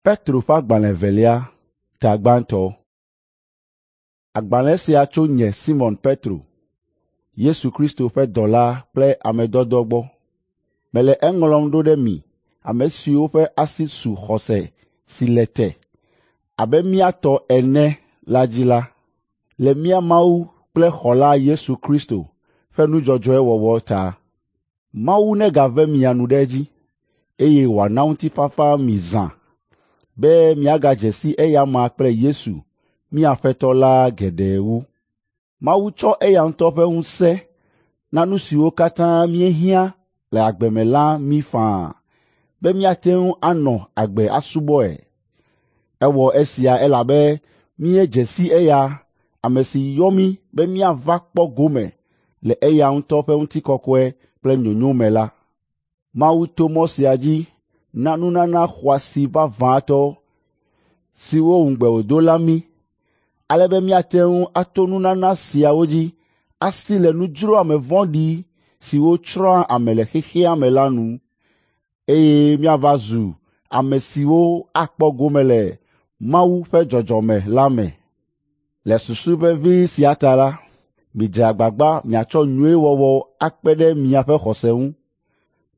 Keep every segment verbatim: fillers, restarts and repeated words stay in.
Petro ƒe agbalẽ evelia, ta gbãtɔ. Agbalẽ sia tso nye Simɔn Petro, Yesu Kristo ƒe dɔla kple ame dɔdɔ gbɔ. Mele eŋlɔm ɖo ɖe mi ame siwo ƒe asi su xɔse si le te abe mía tɔ ene la dzi la, le mía Mawu kple Xɔla Yesu Kristo ƒe nu dzɔdzɔe wɔwɔ ta. Mawu negave mia nu ɖe edzi, eye wòana ŋutifafa mi zã be miagadze si eya amea kple Yesu, mía Aƒetɔ la geɖe wu. Mawu tsɔ eya ŋutɔ ƒe ŋusẽ na nu siwo katã míehiã le agbe me la mí faa be míate ŋu anɔ agbe asubɔe. Ewɔ esia elabe míedze si eya, ame si yɔ mí be míava kpɔ gome le eya ŋutɔ ƒe ŋutikɔkɔe kple nyonyo me la. Mawu to mɔ sia dzi na nunana xɔasi vavãtɔ siwo ŋugbe wòdo la mí, ale be míate ŋu ato nunana siawo dzi asi le nudzroame vɔ̃ɖi siwo tsrɔ̃a ame le xexea me la nu, eye míava zu ame siwo akpɔ gome le Mawu ƒe dzɔdzɔme la me. Le susu vevi sia ta la, midze agbagba miatsɔ nyuiwɔwɔ akpe ɖe miaƒe xɔse ŋu.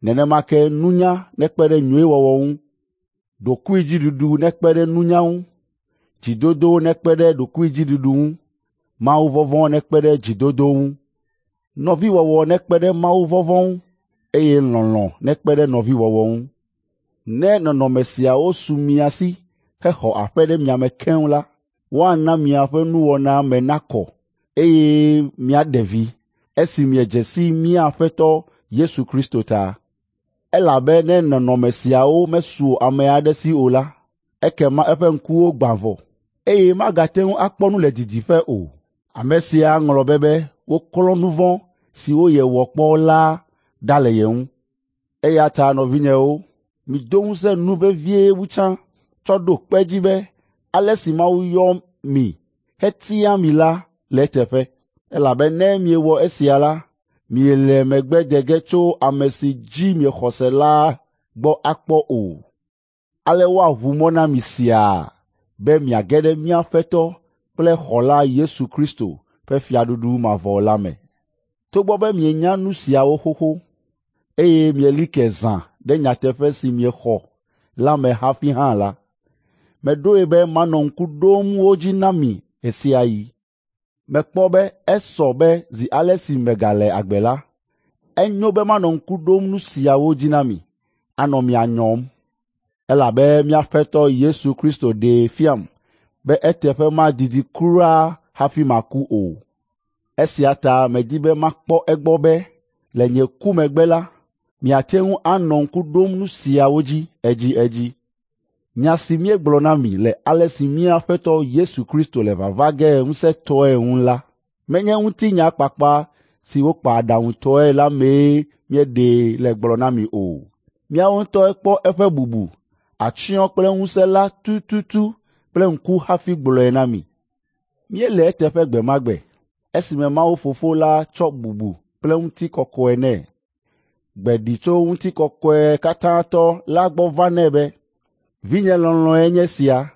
Nenema ke nunya nekpe ɖe nyuiwɔwɔ ŋu, ɖokuidziɖuɖu nekpe ɖe nunya ŋu, dzidodo nekpe ɖe ɖokuidziɖuɖu ŋu, mawuvɔvɔ̃ nekpe ɖe dzidodo ŋu, nɔviwɔwɔ nekpe ɖe mawuvɔvɔ̃ ŋu, eye lɔlɔ̃ nekpe ɖe nɔviwɔwɔ ŋu. Ne nɔnɔme siawo su mia si hexɔ aƒe ɖe mia me keŋ la, woana miaƒe nuwɔna me nakɔ, eye miaɖe vi esi miedze si mía Aƒetɔ Yesu Kristo ta. Elabe ne nɔnɔme siawo mesu ame aɖe si o la, ekema eƒe ŋkuwo gbã vɔ, eye magate ŋu akpɔ nu le didiƒe o. Ame sia ŋlɔ be be woklɔ nu vɔ̃ siwo yewɔ kpɔ la ɖa le ye ŋu. Eya ta nɔvinyewo, mido ŋusẽ nu vevie wu tsã tsɔ ɖo kpe edzi be ale si Mawu yɔ mi hetia mi la le eteƒe. Elabe ne miewɔ esia la, miele megbe de ge tso ame si dzi miexɔ se la gbɔ akpɔ o. Ale woaʋu mɔ na mi siaa be miage ɖe mía Aƒetɔ kple Xɔla Yesu Kristo ƒe fiaɖuɖu mavɔ la me. Togbɔ be mienya nu siawo xoxo, eye mieli ke zã ɖe nyateƒe si miexɔ la me hafi hã la, meɖoe be manɔ ŋku ɖom wo dzi na mi ɣe sia ɣi. Mekpɔ be esɔ be zi ale si megale agbe la, enyo be manɔ ŋku ɖom nu siawo dzi na mi, anɔ mia nyɔm. Elabe mía Aƒetɔ Yesu Kristo ɖee fiam be eteƒe madidi kura hafi maku o. Esia ta medi be makpɔ egbɔ be le nye ku megbe la, miate ŋu anɔ ŋku ɖom nu siawo dzi edziedzi. Nya si míegblɔ na mi le ale si mía Aƒetɔ Yesu Kristo le vava ge ŋusẽtɔe ŋu la, menye ŋutinya kpakpa si wokpa aɖaŋutɔe la mee míeɖee le gblɔ na mi o. Míawo ŋutɔe kpɔ eƒe bubu, atsyɔ̃ kple ŋusẽ la tututu kple ŋku hafi gblɔe na mi. Míele eteƒe gbe ma gbe, esime Mawu Fofo la tsɔ bubu kple ŋutikɔkɔe nɛ. Gbe ɖi tso ŋutikɔkɔe katãtɔ la gbɔ va nɛ be, “Vinye lɔlɔ̃e nye sia,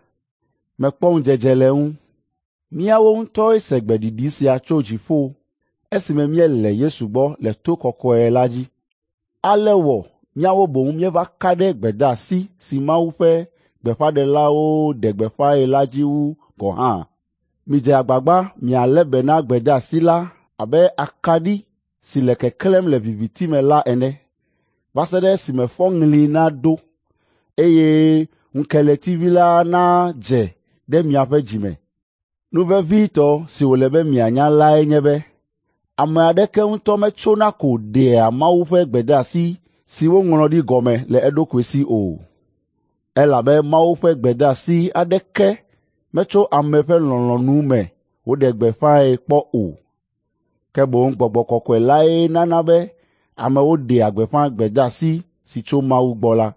mekpɔ ŋudzedze le eŋu.” Míawo ŋutɔe se gbeɖiɖi sia tso dziƒo esime míele Yesu gbɔ le to kɔkɔe la dzi. Ale wɔ míawo boŋ míeva ka ɖe gbedeasi si Mawu ƒe gbeƒãɖelawo ɖe gbeƒãe la dzi wu gɔ̃ hã. Midze agbagba mialé be na gbedeasi la abe akaɖi si le keklẽm le viviti me la ene, va se ɖe esime fɔŋli naɖo, eye ŋukeletivi la nadze ɖe miaƒe dzi me. Nu vevitɔ si wòle be mianya lae nye be ame aɖeke ŋutɔ metsona ko ɖea Mawu ƒe gbedeasi si woŋlɔ ɖi gɔme le eɖokui si o. Elabe Mawu ƒe gbedeasi aɖeke metso ame ƒe lɔlɔ̃nu me woɖe gbeƒãe kpɔ o. Ke boŋ Gbɔgbɔ Kɔkɔe lae nana be amewo ɖea gbeƒã gbedeasi si tso Mawu gbɔ la.